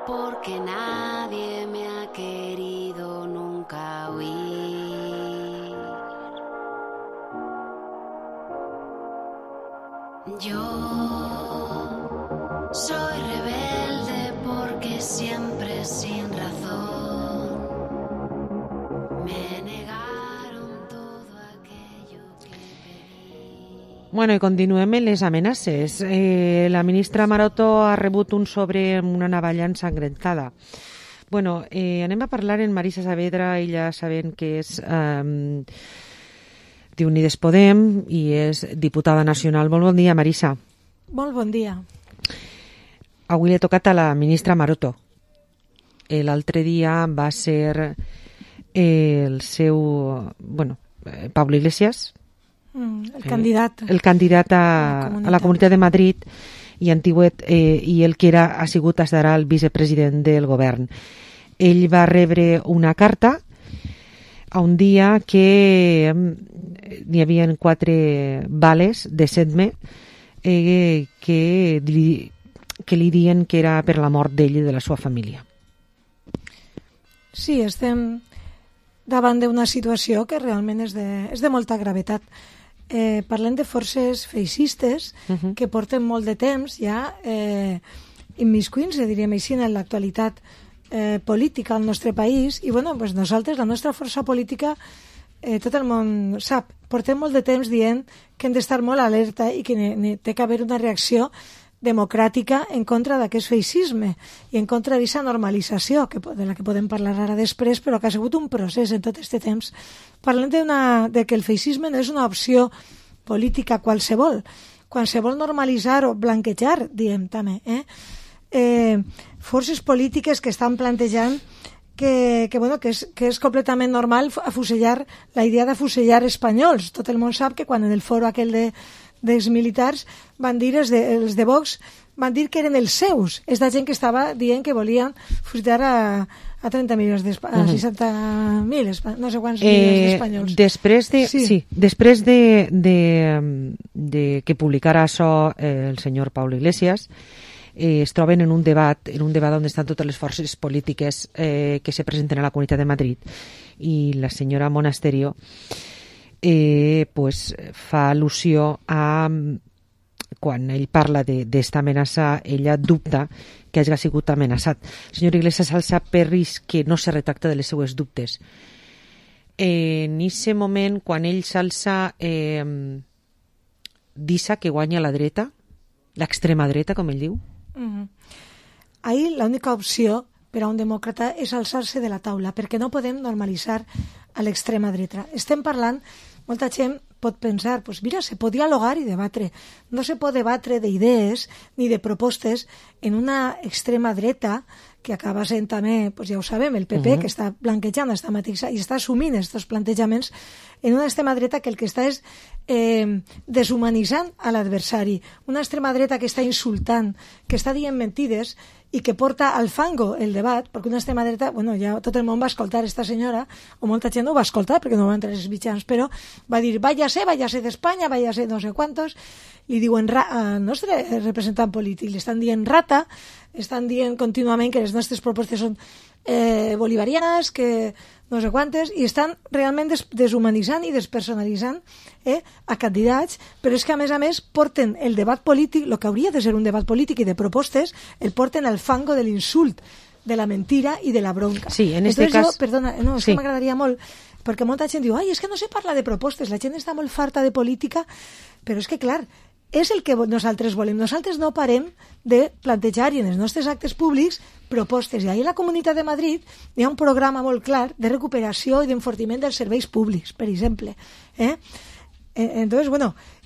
porque nadie me ha querido nunca oír. Yo soy rebelde porque siempre sin razón me negaron todo aquello que pedí. Bueno, i continuem amb les amenaces. La ministra Maroto ha rebut un sobre amb una navalla ensangrentada. Bueno, anem a parlar amb Marisa Saavedra. Ella sabem que és d'Unides Podem i és diputada nacional. Molt bon dia, Marisa. Molt bon dia. Avui l'he tocat a la ministra Maroto. L'altre dia va ser el seu... Pablo Iglesias, el candidat. El candidat a la Comunitat de Madrid i Antigüet, i el que ha sigut estarà el vicepresident del govern. Ell va rebre una carta a un dia que n'hi havia 4 bales de Sedme que li diuen que era per la mort d'ell i de la seva família. Sí, estem davant d'una situació que realment és de molta gravetat. Parlem de forces feixistes que porten molt de temps ja immiscuint-se, diríem així, en l'actualitat política al nostre país. I pues nosaltres, la nostra força política, tot el món sap, portem molt de temps dient que hem d'estar molt alerta i que té que haver una reacció democràtica en contra d'aquest feixisme i en contra d'aquesta normalització de la que podem parlar ara després, però que ha sigut un procés en tot aquest temps. Parlem de que el feixisme no és una opció política qualsevol. Quan se vol normalitzar o blanquejar, diem també, forces polítiques que estan plantejant que és completament normal afusellar, la idea d'afusellar espanyols. Tot el món sap que quan en el foro aquell dels militars van dir, els de Vox van dir que eren els seus, és la gent que estava dient que volien fusillar a 30 milions a 60.000, no sé quants milions d'espanyols. Després de que publicara això el senyor Pablo Iglesias, es troben en un debat on estan totes les forces polítiques que se presenten a la Comunitat de Madrid, i la senyora Monasterio fa al·lusió a quan ell parla d'esta amenaça, ella dubta que hagi sigut amenaçat. El senyor Iglesias s'alça per risc que no se retracta de les seues dubtes. En aquest moment, quan ell s'alça, dissa que guanya la dreta, l'extrema dreta, com ell diu. Ahir l'única opció per a un demòcrata és alçar-se de la taula, perquè no podem normalitzar a l'extrema dreta. Estem parlant, molta gent pot pensar, mira, se pot dialogar i debatre. No se pot debatre d'idees ni de propostes en una extrema dreta que acaba sent també, ja ho sabem, el PP, que està blanquejant esta mateixa i està assumint aquests plantejaments en una extrema dreta que el que està és deshumanitzant a l'adversari. Una extrema dreta que està insultant, que està dient mentides i que porta al fango el debat, perquè una extrema dreta, ja tot el món va escoltar esta senyora, o molta gent no ho va escoltar perquè no va entrar els mitjans, però va dir, váyase d'Espanya, váyase no sé quantos, li diuen al nostre representant polític, li estan dient rata, estan dient contínuament que les nostres propostes són bolivarianes, que no sé quantes, i estan realment deshumanitzant i despersonalitzant a candidats, però és que a més porten el debat polític, el que hauria de ser un debat polític i de propostes, el porten al fango de l'insult, de la mentira i de la bronca. Sí, en este cas... Perdona, és que m'agradaria molt, perquè molta gent diu, és que no se parla de propostes, la gent està molt farta de política, però és que, clar, és el que nosaltres volem. Nosaltres no parem de plantejar i en els nostres actes públics propostes. I ahir a la Comunitat de Madrid hi ha un programa molt clar de recuperació i d'enfortiment dels serveis públics, per exemple. Entonces,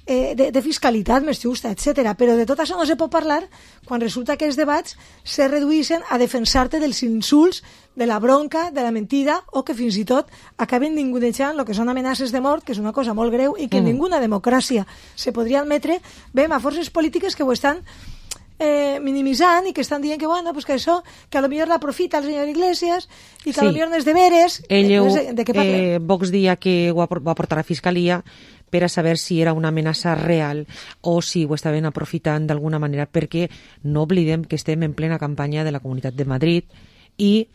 de fiscalitat més justa, etc. Però de tot això no se pot parlar quan resulta que els debats se reduïssin a defensar-te dels insults, de la bronca, de la mentida, o que fins i tot acaben ningunejant el que són amenaces de mort, que és una cosa molt greu i que en ninguna democràcia se podria admetre. Veiem a forces polítiques que ho estan minimitzant i que estan dient que, que això, que a lo millor l'aprofita el senyor Iglesias i que a lo millor no és de veres. Ell, Vox dia que ho va portar a Fiscalia, per a saber si era una amenaça real o si ho estaven aprofitant d'alguna manera, perquè no oblidem que estem en plena campanya de la Comunitat de Madrid i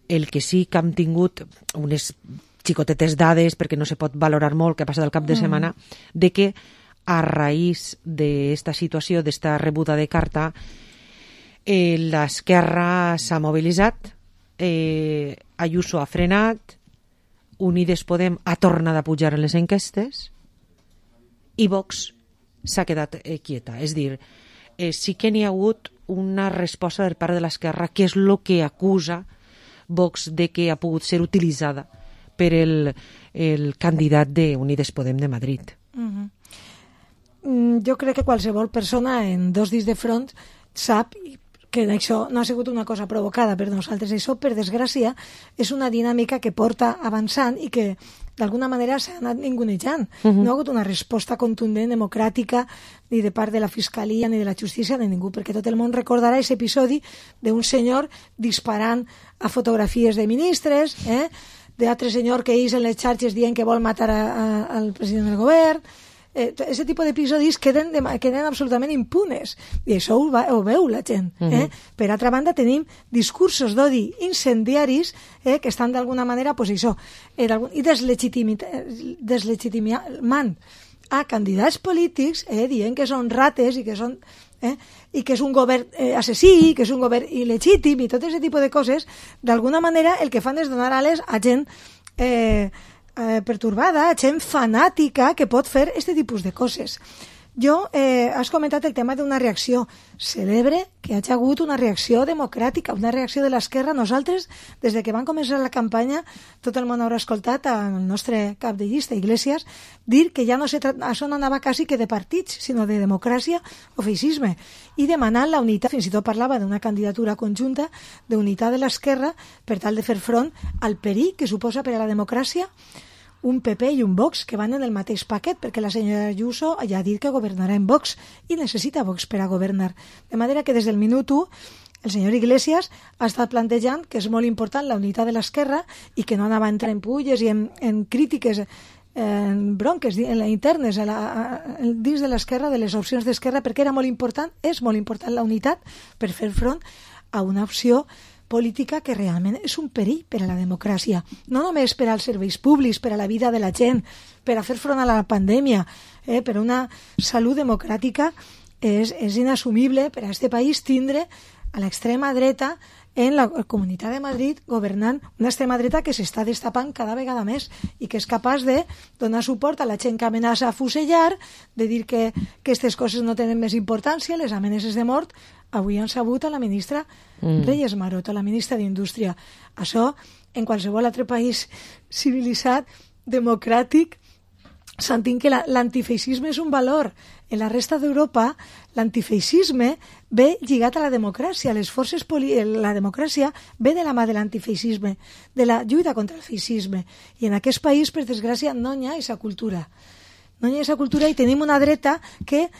el que sí que hem tingut unes xicotetes dades, perquè no se pot valorar molt que ha passat el cap de setmana, de que a raïs d'esta situació, d'esta rebuda de carta, l'esquerra s'ha mobilitzat, Ayuso ha frenat, Unides Podem ha tornat a pujar en les enquestes i Vox s'ha quedat quieta. És dir, sí que n'hi ha hagut una resposta per part de l'esquerra, que és el que acusa Vox de que ha pogut ser utilitzada per el candidat d'Unides Podem de Madrid. Jo crec que qualsevol persona en 2 dits de front sap que això no ha sigut una cosa provocada per nosaltres. Això, per desgràcia, és una dinàmica que porta avançant i que d'alguna manera s'ha anat ningunejant. No ha hagut una resposta contundent, democràtica, ni de part de la Fiscalia, ni de la Justícia, ni ningú, perquè tot el món recordarà aquest episodi d'un senyor disparant a fotografies de ministres, d'altre senyor que és en les xarxes dient que vol matar al president del govern. Aquest tipus d'episodis queden absolutament impunes, i això ho veu la gent. Per altra banda, tenim discursos d'odi incendiaris que estan d'alguna manera, i deslegitimant a candidats polítics, dient que són rates i que és un govern assassí, que és un govern il·legítim i tot aquest tipus de coses. D'alguna manera el que fan és donar ales a gent pertorbada, gent fanàtica que pot fer aquest tipus de coses. Has comentat el tema d'una reacció. Celebre que hi hagi hagut una reacció democràtica, una reacció de l'esquerra. Nosaltres, des de que van començar la campanya, tot el món haurà escoltat al nostre cap de llista, Iglesias, dir que ja això no anava quasi que de partits, sinó de democràcia o feixisme, i demanant la unitat. Fins i tot parlava d'una candidatura conjunta d'unitat de l'esquerra per tal de fer front al perill que suposa per a la democràcia un PP i un Vox que van en el mateix paquet, perquè la senyora Ayuso ja ha dit que governarà en Vox i necessita Vox per a governar. De manera que des del minut 1 el senyor Iglesias ha estat plantejant que és molt important la unitat de l'esquerra i que no anava a entrar en pulles i en crítiques, en bronques internes dins de l'esquerra, de les opcions d'esquerra, perquè era molt important, és molt important la unitat per fer front a una opció política que realment és un perill per a la democràcia, no només per als serveis públics, per a la vida de la gent, per a fer front a la pandèmia, per a una salut democràtica. És inassumible per a aquest país tindre a l'extrema dreta en la Comunitat de Madrid governant, una extrema dreta que s'està destapant cada vegada més i que és capaç de donar suport a la gent que amenaça a fusellar, de dir que aquestes coses no tenen més importància, les amenaces de mort. Avui han sabut a la ministra Reyes Maroto, la ministra d'Indústria. Això, en qualsevol altre país civilitzat, democràtic, sentim que l'antifeixisme és un valor. En la resta d'Europa, l'antifeixisme ve lligat a la democràcia. La democràcia ve de la mà de l'antifeixisme, de la lluita contra el feixisme. I en aquest país, per desgràcia, no hi ha aquesta cultura. No hi ha aquesta cultura i tenim una dreta que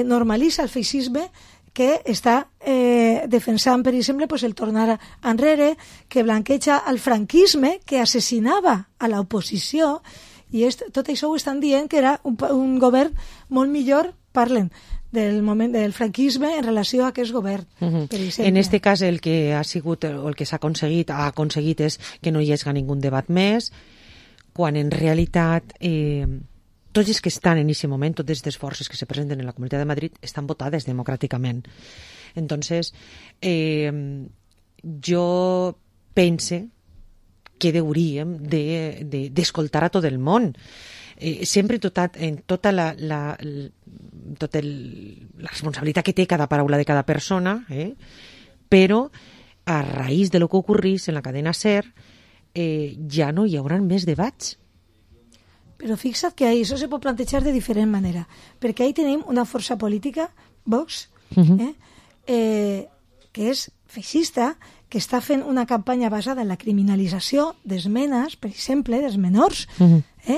normalitza el feixisme, que està defensant, per exemple, el tornar enrere, que blanqueja el franquisme, que assassinava a l'oposició, i tot això ho estan dient que era un govern molt millor, parlen del moment del franquisme en relació a aquest govern. En aquest cas el que ha sigut o el que s'ha aconseguit és que no hi hagi ningú debat més, quan en realitat tots els que estan en aquest moment, totes les forces que se presenten en la Comunitat de Madrid estan votades democràticament. Entonces, jo pense que hauríem d'escoltar a tot el món. Sempre en tota la responsabilitat que té cada paraula de cada persona, però a raïs de lo que ocorrís en la cadena SER ja no hi haurà més debats. Però fixa't que això se pot plantejar de diferent manera, perquè ahí tenim una força política, Vox, que és feixista, que està fent una campanya basada en la criminalització d'esmenes, per exemple, dels menors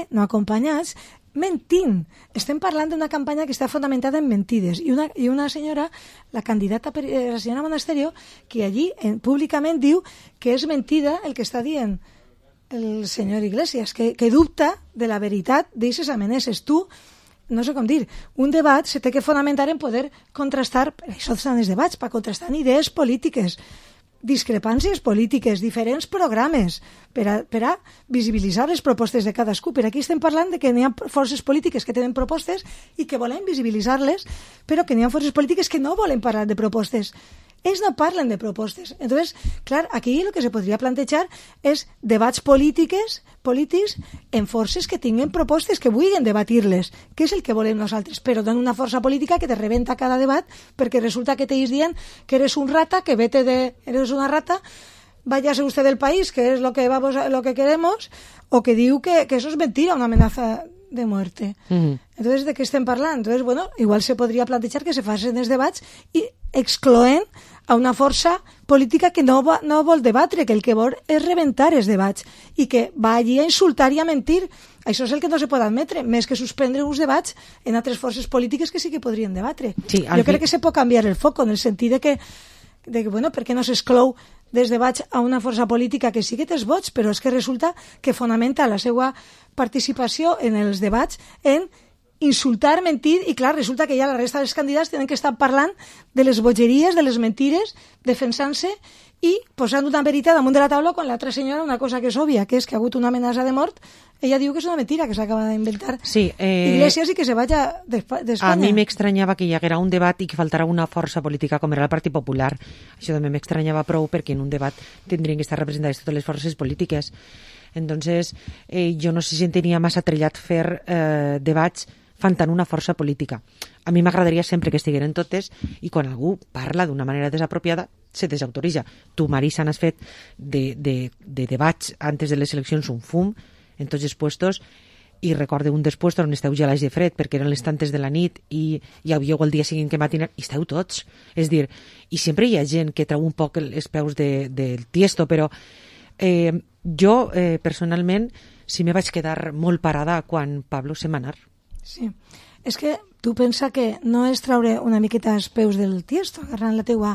no acompanyats, mentint. Estem parlant d'una campanya que està fonamentada en mentides. I una senyora, la candidata, la senyora Monasterio, que allí públicament diu que és mentida el que està dient el senyor Iglesias, que dubta de la veritat d'aixes amenaces. Tu, no sé com dir, un debat se té que fonamentar en poder contrastar, per això estan els debats, per contrastar idees polítiques, discrepàncies polítiques, diferents programes, per a visibilitzar les propostes de cadascú. Per aquí estem parlant de que n'hi ha forces polítiques que tenen propostes i que volen visibilitzar-les, però que n'hi ha forces polítiques que no volen parlar de propostes. Ells no parlen de propostes. Entonces, clar, aquí el que se podria plantejar és debats polítics en forces que tinguen propostes, que vulguin debatir-les, que és el que volem nosaltres, però no una força política que te rebenta cada debat perquè resulta que t'ells dient que eres un rata, que eres una rata, váyase usted del país, que es lo que queremos, o que diu que eso es mentira, una amenaza de muerte. Entonces, ¿de qué estem parlant? Entonces, bueno, igual se podria plantejar que se facin els debats i excloent a una força política que no vol debatre, que el que vol és rebentar els debats i que va allí a insultar i a mentir. Això és el que no se pot admetre, més que suspendre uns debats en altres forces polítiques que sí que podrien debatre. Sí, jo crec que se pot canviar el foc en el sentit de que bueno, per què no s'exclou dels debats a una força política que sí que té els vots, però és que resulta que fonamenta la seva participació en els debats en insultar, mentir, i clar, resulta que ja la resta dels candidats tenen que estar parlant de les bogeries, de les mentires, defensant-se i posant una veritat damunt de la taula quan l'altra senyora una cosa que és òbvia, que és que ha hagut una amenaça de mort. Ella diu que és una mentira, que s'acaba d'inventar Iglesias i que se vaya d'Espanya. A mi m'extranyava que hi haguera un debat i que faltara una força política com era el Partit Popular. Això també m'extranyava prou perquè en un debat tindrien que estar representades totes les forces polítiques. Entonces, jo no se sentiria massa trellat fer debats faltant una força política. A mi m'agradaria sempre que estigueren totes i quan algú parla d'una manera desapropiada se desautoritza. Tu, Marisa, n'has fet de debats antes de les eleccions un fum en tots els puestos i recorde un dels puestos on esteu gelats de fred perquè eren les tantes de la nit i havíeu el dia seguint que matinar i esteu tots. És dir, i sempre hi ha gent que treu un poc els peus del tiesto, però jo personalment sí me vaig quedar molt parada quan Pablo se va anar. Sí, és que tu pensa que no és traure una miqueta els peus del tiesto, agarrant la teua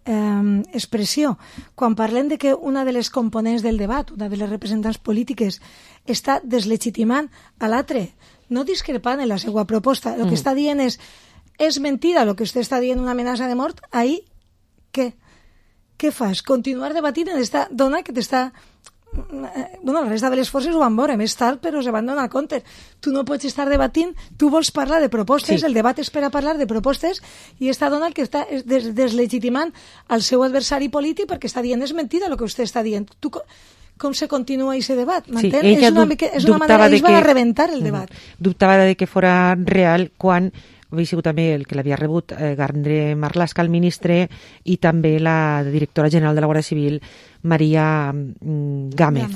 expressió. Quan parlem de que una de les components del debat, una de les representants polítiques, està deslegitimant a l'altre, no discrepant en la seva proposta, el que està dient és mentida, el que vostè està dient una amenaça de mort, ahí què? Què fas? Continuar debatint en esta dona que t'està... Bueno, la resta de les forces ho van veure més tard, però se van donar compte. Tu no pots estar debatint, tu vols parlar de propostes, sí. El debat és per a parlar de propostes i esta dona el que està deslegitimant al seu adversari polític perquè està dient és mentida el que vostè està dient. Tu, com se continua aquest debat? Sí, és una manera ells van a rebentar el debat. Dubtava de que fora real quan havia sigut també el que l'havia rebut Gardner Marlaska, el ministre, i també la directora general de la Guàrdia Civil, Maria Gámez.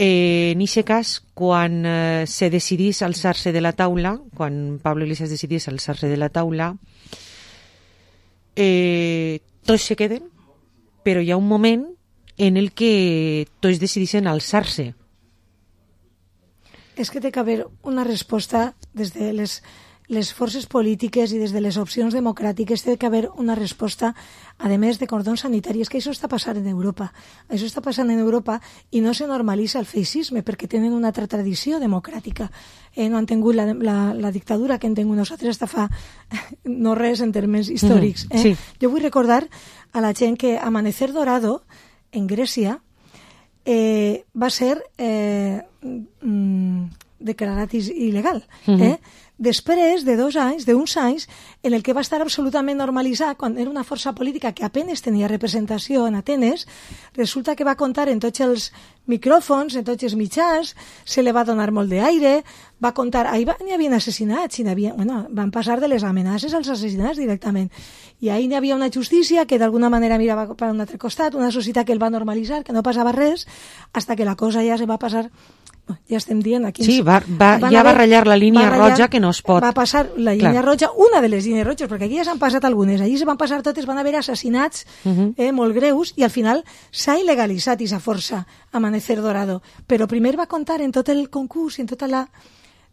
En aquest cas, quan se decidís alçar-se de la taula, quan Pablo Iglesias decidís alçar-se de la taula, tots se queden, però hi ha un moment en el que tots decidissin alçar-se. És que té que haver una resposta des de les forces polítiques i des de les opcions democràtiques, té que haver una resposta, a més de cordons sanitaris, que això està passant en Europa. Això està passant en Europa i no se normalitza el feixisme perquè tenen una altra tradició democràtica. No han tingut la dictadura que hem tingut nosaltres hasta fa no res en termes històrics. Sí. Jo vull recordar a la gent que Amanecer Dorado, en Grècia, va ser declarat il·legal. Després d'uns anys, en el que va estar absolutament normalitzat, quan era una força política que apenas tenia representació en Atenes, resulta que va comptar en tots els micròfons, en tots els mitjans, se li va donar molt d'aire, va comptar, n'hi havia assassinats, van passar de les amenaces als assassinats directament. I ahir n'hi havia una justícia que d'alguna manera mirava per un altre costat, una societat que el va normalitzar, que no passava res, hasta que la cosa ja se va passar... Ja estem dient aquí... Sí, va ratllar la línia roja que no es pot... Va passar la línia roja, una de les línies roges, perquè aquí ja s'han passat algunes, allí se van passar totes, van haver assassinats molt greus, i al final s'ha il·legalitzat aquesta força, Amanecer Dorado. Però primer va comptar en tot el concurs, en tota la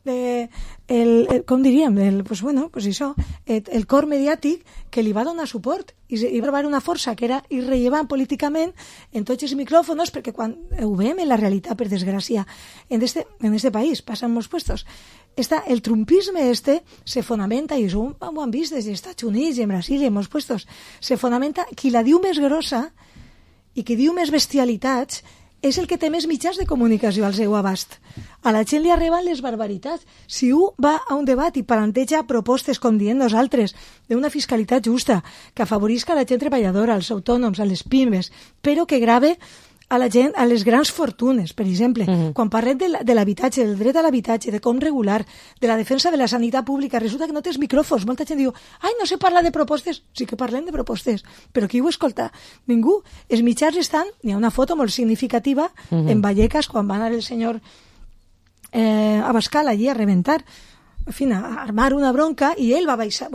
com diríem, el cor mediàtic que li va donar suport i va trobar una força que era irrellevant políticament en tots els micròfons, perquè quan ho veiem en la realitat, per desgràcia, en este país, passa en molts puestos, el trumpisme se fonamenta, i això ho han vist des dels Estats Units i en Brasil i en molts puestos, se fonamenta, qui la diu més grossa i qui diu més bestialitats és el que té més mitjans de comunicació al seu abast. A la gent li arriben les barbaritats. Si un va a un debat i planteja propostes, com diem nosaltres, d'una fiscalitat justa, que afavorisca la gent treballadora, als autònoms, a les pimes, però que grave a la gent, a les grans fortunes, per exemple. Quan parlem de l'habitatge, del dret a l'habitatge, de com regular, de la defensa de la sanitat pública, resulta que no tens micròfons. Molta gent diu, no se parla de propostes. Sí que parlem de propostes, però qui ho escolta? Ningú. Els mitjans estan, hi ha una foto molt significativa en Vallecas, quan va anar el senyor Abascal allí a reventar, en fi, a armar una bronca, i ell va baixar,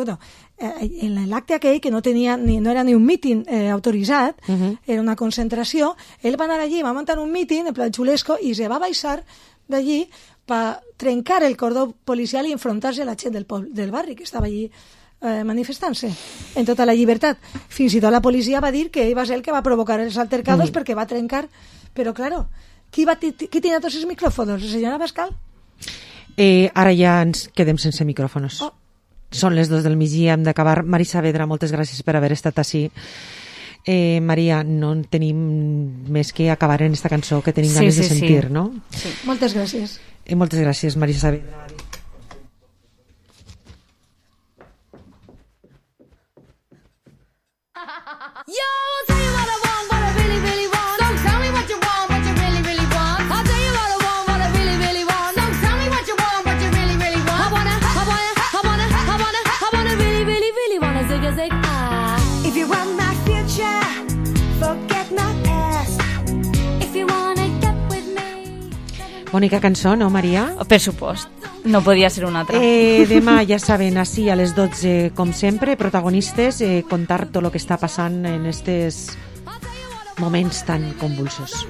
en l'acte aquell, que no era ni un míting autoritzat, era una concentració, ell va anar allí, va muntar un míting en plan xulesco i se va baixar d'allí per trencar el cordó policial i enfrontar-se a la gent del barri que estava allí manifestant-se en tota la llibertat. Fins i tot la policia va dir que ell va ser el que va provocar els altercados perquè va trencar, però claro, qui tenia tots els micròfons? El senyor Abascal? Ara ja ens quedem sense micròfons. Són les 2 del migdia, hem d'acabar. Mari Saavedra, moltes gràcies per haver estat ací. Maria, no tenim més que acabar en esta cançó que tenim ganes de sentir, no? Sí. Moltes gràcies. Moltes gràcies, Mari Saavedra. Yo, I'll tell you what I want, what I really, really want. Don't tell me what you want, what you really, really want. I'll tell you what I want, what I really, really want. Don't tell me what you want, what you really, really want. I wanna really, really, really wanna zig a zig. If you want my future, forget my past. If you wanna get with me. Bonica cançó, no, Maria? Per supost. No podia ser una altra. Demà, ja saben, així a les 12, com sempre, protagonistes, contar tot el que està passant en estos moments tan convulsos.